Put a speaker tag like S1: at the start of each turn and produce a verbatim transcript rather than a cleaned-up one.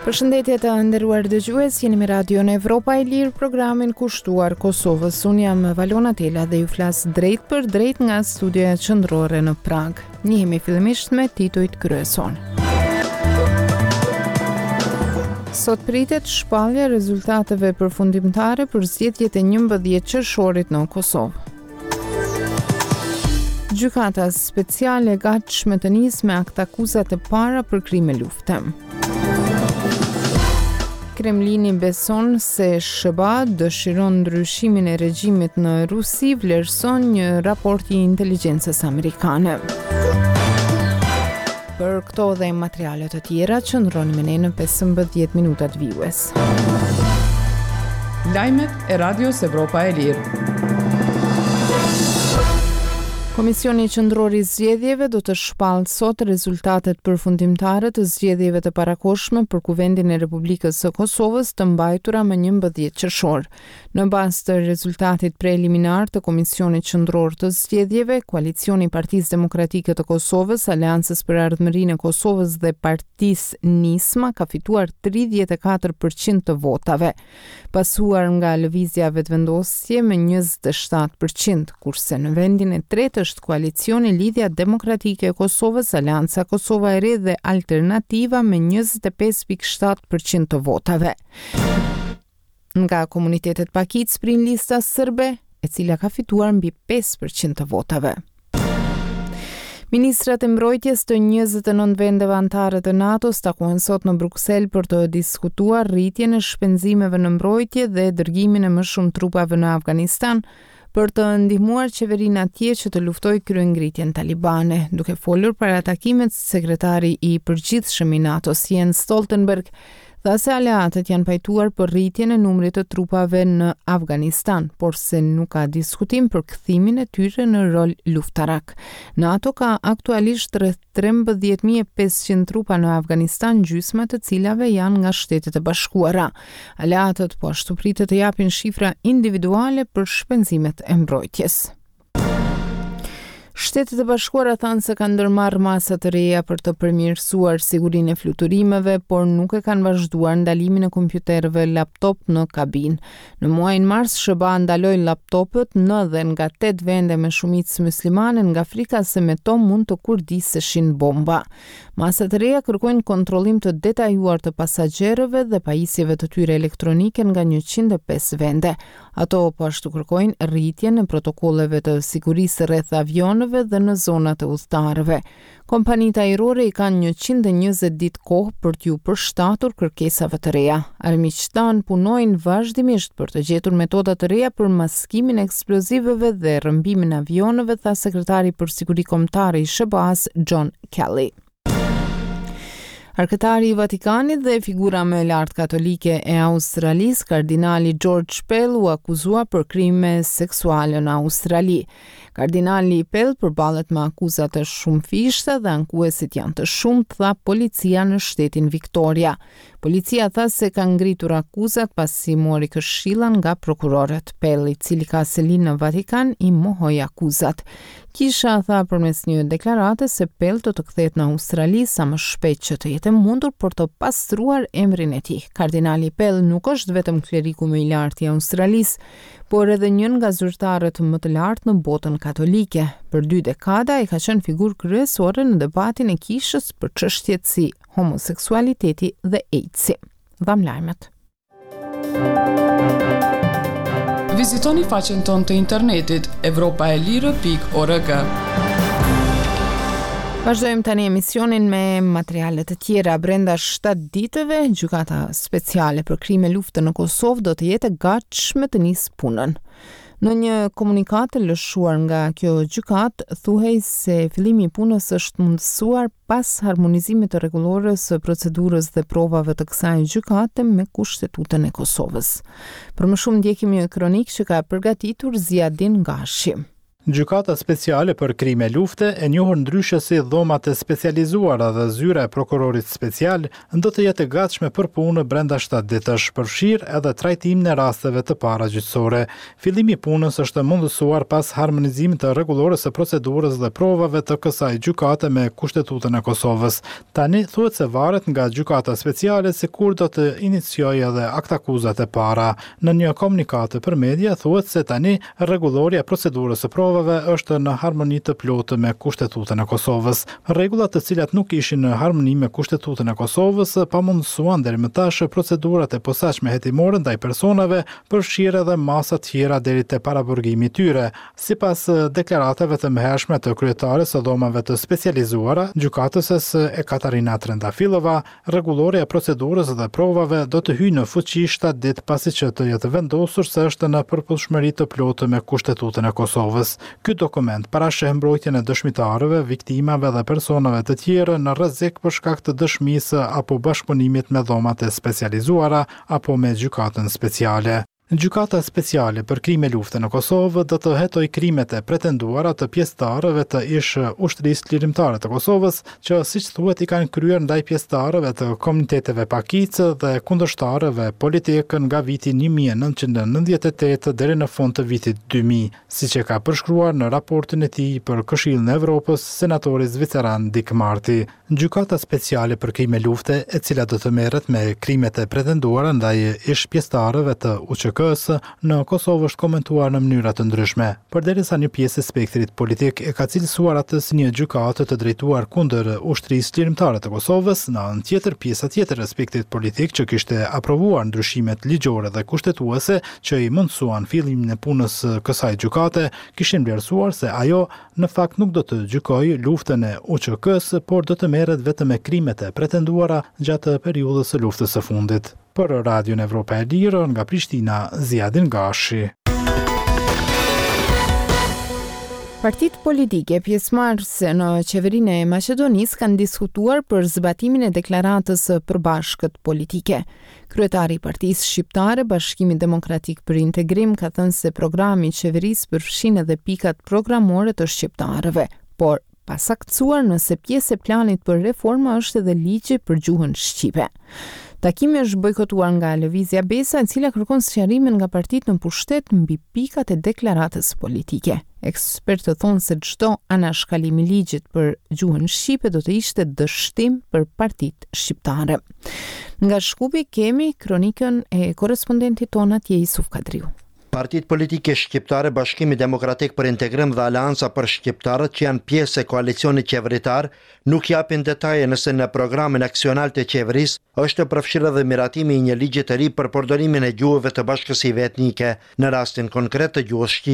S1: Përshëndetje të nderuar dëgjues, jeni me Radion Evropa e Lirë, programin kushtuar Kosovës. Unë jam Valona Tela dhe ju flas drejt për drejt nga studioja qendrore në Prag. Njihemi fillimisht me titujt kryesor. Sot pritet shpallja e rezultateve përfundimtare për zgjedhjet e njëmbëdhjetë qershorit në Kosovë. Gjykata speciale e gatshme të nisë me aktakuzat e para për krime lufte. Kremlini beson se S H B A dëshiron ndryshimin e regjimit në Rusi, vlerëson një raport i inteligjencës amerikane. Për këto dhe materiale të tjera, qëndroni me ne në pesëmbëdhjetë minutat vijues.
S2: Lajmet e Radios Evropa e Lirë.
S1: Komisioni Qendror i Zgjedhjeve do të shpallë sot rezultatet përfundimtare të zgjedhjeve të parakohshme për Kuvendin e Republikës së Kosovës, të mbajtura më njëmbëdhjetë qershor. Në bazë të rezultatit preliminar të Komisionit Qendror të Zgjedhjeve, koalicioni i Partisë Demokratike të Kosovës, Aleancës për Ardhmërinë e Kosovës dhe Partisë Nisma ka fituar tridhjetë e katër për qind të votave, pasuar nga Lëvizja Vetëvendosje me njëzet e shtatë për qind, kurse në vendin e tretë është koalicioni Lidhja Demokratike e Kosovës, Aleanca Kosova e Re dhe Alternativa me njëzet e pesë pikë shtatë për qind të votave. Nga komunitetet pakicë prin Lista Sërbe, e cila ka fituar mbi pesë për qind të votave. Ministrat e mbrojtjes të njëzet e nëntë vendeve anëtare të NATO-s takohen sot në Bruksel për të diskutuar rritjen e shpenzimeve në mbrojtje dhe dërgimin e më shumë trupave në Afganistan për të ndihmuar qeverinë atje që të luftojë kryengritjen talibane. Duke folur para takimit, sekretari i përgjithshëm i NATO-s, Jens Stoltenberg, tha se aleatët janë pajtuar për rritjen e numrit të trupave në Afganistan, por se nuk ka diskutim për kthimin e tyre në rol luftarak. NATO ka aktualisht rreth trembëdhjetë mijë e pesëqind trupa në Afganistan, gjysma të cilave janë nga Shtetet e Bashkuara. Aleatët po ashtu pritet të japin shifra individuale për shpenzimet e mbrojtjes. Shtetet e Bashkuara thanë se kanë ndërmarrë masa të reja për të përmirësuar sigurinë e fluturimeve, por nuk e kanë vazhduar ndalimin e kompjuterëve laptop në kabinë. Në muajin mars, S H B A ndaloi laptopët në dhe nga tetë vende me shumicë muslimane, nga frika se me to mund të kurdiseshin bomba. Masat e reja kërkojnë kontrollim të detajuar të pasagjerëve dhe pajisjeve të tyre elektronike nga njëqind e pesë vende. Ato po ashtu kërkojnë rritjen e protokolleve të sigurisë rreth avionëve dhe në zonat e udhëtarëve. Kompanitë ajrore i kanë njëqind e njëzet ditë kohë për t'ju përshtatur kërkesave të reja. "Armiqtë tanë punojnë vazhdimisht për të gjetur metoda të reja për maskimin e eksplozivëve dhe rrëmbimin e avionëve", tha sekretari për siguri kombëtare i S H B A-s, John Kelly. Arkëtari i Vatikanit dhe figura më e lartë katolike e Australisë, kardinali George Pell, u akuzua për krime seksuale në Australi. "Kardinali Pell përballet me akuza të shumëfishta dhe ankuesit janë të shumtë", tha policia në shtetin Victoria. Policia tha se ka ngritur akuzat pasi mori këshilla nga prokurorët. Pell, i cili ka selinë në Vatikan, i mohoi akuzat. Kisha tha përmes një deklarate se Pell do të kthehet në Australi sa më shpejt që të jetë e mundur për të pastruar emrin e tij. Kardinali Pell nuk është vetëm kleriku më i lartë i Australisë, por edhe një nga zyrtarët më të lartë në botën katolike. Për dy dekada ai ka qenë figurë kryesore në debatin e kishës për çështjet si homoseksualiteti dhe AIDS-i. Dham lajmet.
S2: Vizitoni faqen tonë të internetit evropaelire pikë org.
S1: Vazhdojmë tani emisionin me materiale të tjera. Brenda shtatë ditëve, Gjykata Speciale për Krime Lufte në Kosovë do të jetë e gatshme të nisë punën. Në një komunikatë të lëshuar nga kjo gjykatë, thuhej se fillimi i punës është mundësuar pas harmonizimit të rregullores së procedurës dhe provave të kësaj gjykate me Kushtetutën e Kosovës. Për më shumë, ndjekim një kronikë që ka përgatitur Ziadin Gashi.
S3: Gjykata Speciale për Krime Lufte, e njohur ndryshe si Dhomat e Specializuara dhe Zyra e Prokurorit Special, do të jetë e gatshme për punë brenda shtatë ditësh, përfshirë edhe trajtimin e rasteve të para gjyqësore. Fillimi i punës është mundësuar pas harmonizimit të rregullores së procedurës dhe provave të kësaj gjykate me Kushtetutën e Kosovës. Tani thuhet se varet nga Gjykata Speciale se kur do të iniciojë edhe aktakuzat e para. Në një komunikatë për media thuhet se tani rregullorja e procedurës së provave është në harmoni të plotë me Kushtetutën e Kosovës. Rregullat të cilat nuk ishin në harmoni me Kushtetutën e Kosovës pamundësuan deri më tash procedurat e posaçme hetimore ndaj personave, përfshirë edhe masa tjera deri te paraburgimi i tyre. Sipas deklaratave të mëhershme të kryetares së dhomave të specializuara, gjykatëses Ekaterina Trendafilova, rregullorja e procedurës dhe provave do të hyjë në fuqi shtatë ditë pasi që të jetë vendosur se është në përputhshmëri të plotë me Kushtetutën e Kosovës. Ky dokument parasheh mbrojtjen e dëshmitarëve, viktimave dhe personave të tjerë në rrezik për shkak të dëshmisë apo bashkëpunimit me dhomat e specializuara apo me gjykatën speciale. Gjykata Speciale për Krime Lufte në Kosovë do të hetojë krimet e pretenduara të pjesëtarëve të ish ushtrisë çlirimtare të Kosovës, që siç thuhet i kanë kryer ndaj pjesëtarëve të komuniteteve pakicë dhe kundërshtarëve politikë nga viti një mijë e nëntëqind e nëntëdhjetë e tetë deri në fund të vitit dy mijë, siç e ka përshkruar në raportin e tij për Këshillin e Evropës senatori zviceran Dick Marty. Gjykata Speciale për Krime Lufte, e cila do të merret me krimet e pretenduara ndaj ish pjesëtarëve të U Ç K-së, në Kosovë është komentuar në mënyra të ndryshme, përderisa një pjesë e spektrit politik e ka cilësuar atë si një gjykatë të drejtuar kundër ushtrisë çlirimtare të Kosovës, në anën tjetër pjesa tjetër e spektrit politik që kishte aprovuar ndryshimet ligjore dhe kushtetuese që i mundësuan fillimin e punës kësaj gjykate, kishin vlerësuar se ajo në fakt nuk do të gjykojë luftën e U Ç K-së, por do të merret vetëm me krimet e pretenduara gjatë periudhës së luftës së fundit. Për Radion Evropa e Lirë, nga Prishtina, Ziadin Gashi.
S1: Partitë politike pjesëmarrëse në qeverinë e Maqedonisë kanë diskutuar për zbatimin e deklaratës së përbashkët politike. Kryetari i Partisë Shqiptare, Bashkimi Demokratik për Integrim, ka thënë se programi i qeverisë përfshin edhe pikat programore të shqiptarëve, por pa saktësuar nëse pjesë e planit për reforma është edhe ligji për gjuhën shqipe. Takimi është bojkotuar nga Lëvizja Besa, e cila kërkon sqarimin nga partitë në pushtet mbi pikat e deklaratës politike. Ekspertët thonë se çdo anashkalim i ligjit për gjuhën shqipe do të ishte dështim për partitë shqiptare. Nga Shkupi kemi kronikën e korrespondentit ton atje, Isuf Kadriu.
S4: Partitë politike shqiptare, Bashkimi Demokratik për Integrim dhe Aleanca për Shqiptarët, që janë pjesë e koalicionit qeveritar, nuk japin detaje nëse në programin aksional të qeverisë është përfshirë edhe miratimi i një ligji të ri për përdorimin e gjuhëve të bashkësive etnike, në rastin konkret të gjuhës shqipe.